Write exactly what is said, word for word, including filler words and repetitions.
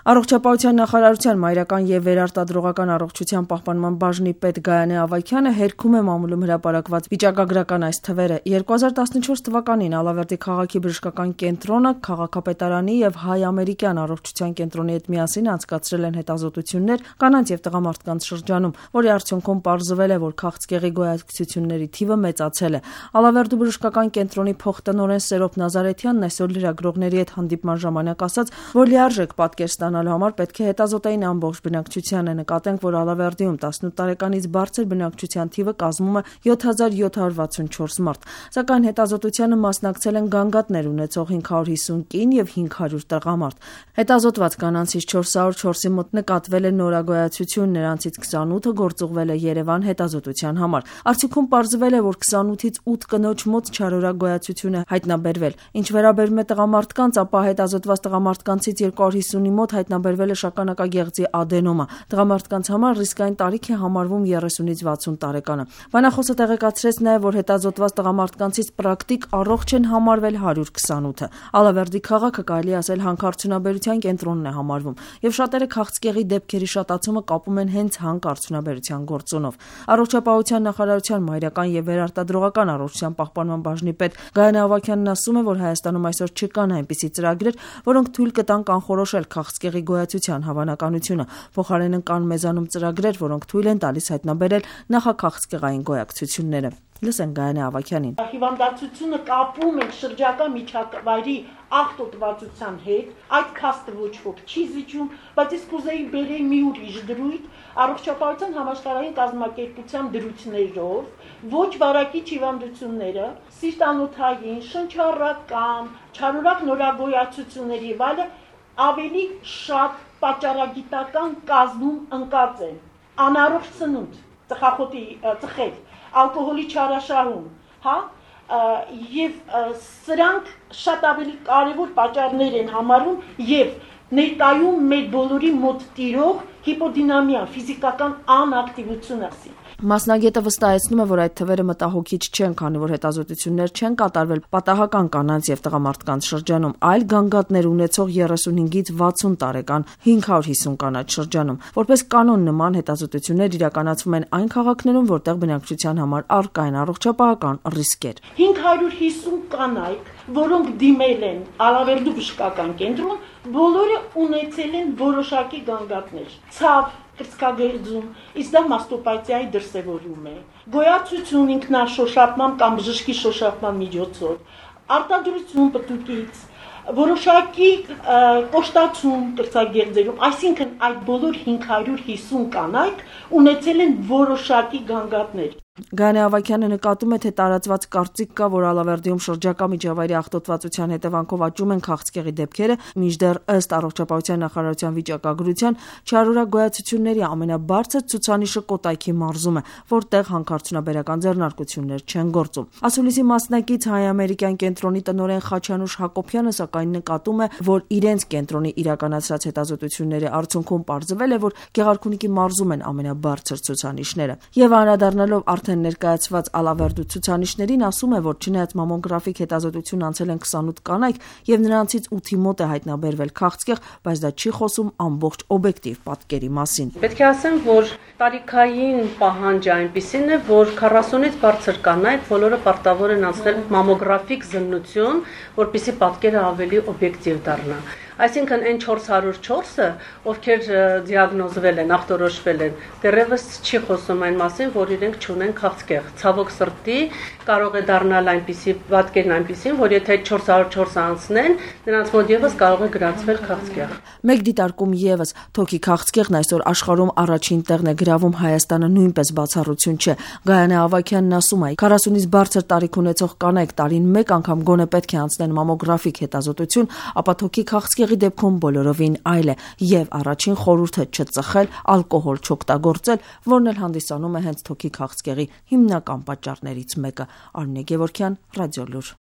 Առողջապահության նախարարության մայրական և վերարտադրողական առողջության պահպանման բաժնի պետ Գայանե Ավագյանը հերքում է մամուլում հրապարակված վիճակագրական այս թվերը։ երկու հազար տասնչորս թվականին Ալավերդի քաղաքի բժշկական կենտրոնը քաղաքապետարանի և հայ-ամերիկյան առողջության կենտրոնի հետ միասին անցկացրել են հետազոտություններ կանանց և տղամարդկանց շրջանում, որի արդյունքում պարզվել է, որ քաղցկեղի գոյակցությունների թիվը մեծացել է։ Ալավերդու բժշկական կենտրոնի փոխտնօրեն Սերոբ Նազարեթյանն այսօր լրագրողների հետ հանդիպման ժամանակ ասաց, որ լիարժեք պատկեր ստանալու համար պետք է հետազոտեին ամբողջ բնակչությանը։ Նկատենք, որ Ալավերդիում տասնութ տարեկանից բարձր բնակչության թիվը կազմում է յոթ հազար յոթ հարյուր վաթսունչորս մարդ, սակայն հետազոտությանը մասնակցել են գանգատներ ունեցող հինգ հարյուր հիսուն կին և հինգ հարյուր տղամարդ։ Հետազոտված կանանցից չորս հարյուր չորսի մոտ նկատվել է նորագոյացություն, նրանցից քսանութը գործուղվել է Երևան հետազոտության համար։ Արդյունքում պարզվել է, որ քսանութից ութ կնոջ մոտ չարորակ գոյացություն է հայտնաբերվել։ Ինչ վերաբերում է տղամարդկանց, ապա հետազոտված տղամարդկանցից երկու հարյուր հիսունի մոտ հայտնաբերվել է շագանակագեղձի ադենոմա։ Տղամարդկանց համար ռիսկային տարիք է համարվում երեսունից վաթսուն տարեկանը։ Բանախոսը տեղեկացրեց նաև, որ հետազոտված տղամարդկանցից պրակտիկ առողջ են համարվել հարյուր քսանութը։ Ալավերդի քաղաքը կարելի է ասել հանքարդյունաբերության կենտրոնն է համարվում, և շատերը քաղցկեղի դեպքերի շատացումը կապում են հենց հանքարդյունաբերության գործոնով։ Առողջապահության նախարարության մայրական և վերարտադրողական առողջության պահպանման բաժնի պետ Գայանե Ավագյանն ասում է, որ Հայաստանում այսօր չկան այնպիսի ծրագրեր, որոնք թույլ կտան կանխորոշել քաղցկեղի գոյացության հավանականությունը։ Փոխարենն կան մեզանում ծրագրեր, որոնք թույլ են տալիս հայտնաբերել նախաքաղցկեղային գոյակցությունները։ Լսենք Գայանե Ավագյանին։ Հիվանդացությունը կապում ենք շրջակա միջավայրի աղտոտվածության հետ, այդ փաստը ոչ ոք չի զիջում, բայց ես կուզեի բերեի մի ուրիշ դրույթ առողջապահության համաշխարհային կազմակերպության դրույթներով, ոչ վարակիչ հիվանդությունները, սիրտանոթային, շնչառական, չարորակ նորագոյացությունների եւ այլը ավելի շատ պատճառագիտական կազմում ընկած են։ Անառողջ սնունդ, ծխախոտի ծխել, ալկոհոլի չարաշահում, հա, եւ սրանք շատ ավելի կարևոր պատճառներ են համարում եւ ներկայում մեր բոլորի մոտ տիրող հիպոդինամիա, ֆիզիկական անակտիվությունը։ Մասնագետը վստահեցնում է, որ այդ թվերը մտահոգիչ չեն, քանի որ հետազոտություններ չեն կատարվել պատահական կանանց և տղամարդկանց շրջանում, այլ գանգատներ ունեցող երեսունհինգից վաթսուն տարեկան հինգ հարյուր հիսուն կանանց շրջանում։ Որպես կանոն, նման հետազոտություններ իրականացվում են այն քաղաքներում, որտեղ բնակչության համար առկա են առողջապահական ռիսկեր։ հինգ հարյուր հիսուն կանայք, որոնք դիմել են Ալավերդու բժշկական կենտրոն, բոլորը ունեցել են որոշակի գանգատներ։ Ցավ, կրծքագեղձում, իսկ դա մաստոպաթիայի դրսևորում է։ Գոյացություն ինքնաշոշափման կամ բժշկի շոշափման միջոցով, արտադրություն պտուկից, որոշակի կոշտացում կրծքագեղձերում, այսինքն այդ բոլոր հինգ հարյուր հիսուն կանայք ունեցել են որոշակի գանգատներ։ Գայանե Ավագյանը նկատում է, թե տարածված կարծիք կա, որ Ալավերդիում շրջակա միջավայրի աղտոտվածության հետևանքով աճում են քաղցկեղի դեպքերը, մինչդեռ ըստ առողջապահության նախարարության վիճակագրության չարորակ գոյացությունների ամենաբարձր ցուցանիշը Կոտայքի մարզում է, որտեղ հանքարդյունաբերական ձեռնարկություններ չեն գործում։ Ասուլիսի մասնակից հայ-ամերիկյան կենտրոնի տնօրեն Խաչանուշ Հակոբյանը սակայն նկատում է, որ իրենց կենտրոնի իրականացրած հետազոտությունների արդյունքում պարզվել է, որ Գեղարքունիքի մարզում են ամենաբարձր ցուցանիշները։ Եվ անդրադառնալով արդեն ներկայացված Ալավերդու ցուցանիշներին, ասում է, որ չնայած մամոգրաֆիկ հետազոտություն անցել են քսանութ կանայք եւ նրանցից ութի մոտ է հայտնաբերվել քաղցկեղ, բայց դա չի խոսում ամբողջ օբյեկտիվ պատկերի մասին։ Պետք է ասեմ, որ տարիքային պահանջը այնպիսին է, որ քառասունից բարձր կանայք բոլորը պարտավոր են անցնել մամոգրաֆիկ զննություն, որպեսզի պատկերը ավելի օբյեկտիվ դառնա։ Այսինքն այն չորս հարյուր չորսը, ովքեր դիագնոզվել են, ախտորոշվել են, դեռևս չի խոսում այն մասին, որ իրենք չունեն քաղցկեղ։ Ցավոք սրտի կարող է դառնալ այնպիսի պատկերն այնպիսին, որ եթե չորս հարյուր չորսը անցնեն, նրանց մոտ եւս կարող է գրանցվել քաղցկեղ։ Մեկ դիտարկում եւս թոքի քաղցկեղն այսօր աշխարհում առաջին տեղն է գրավում, Հայաստանը նույնպես բացառություն չէ։ Գայանե Ավագյանն ասում է, քառասունից բարձր տարիք ունեցող կանայք տարին մեկ անգամ գոնե պետք է անցնեն մամոգրաֆիկ հետազոտություն, ապա թոքի քաղցկեղի դեպքում բոլորովին այլ է, եւ առաջին խորհուրդը չծխել, ալկոհոլ չօգտագործել, որն էլ հանդիսանում է հենց թոքի քաղցկեղի հիմնական պատճառներից մեկը։ Արմինե Գևորգյան, Ռադիոլուր։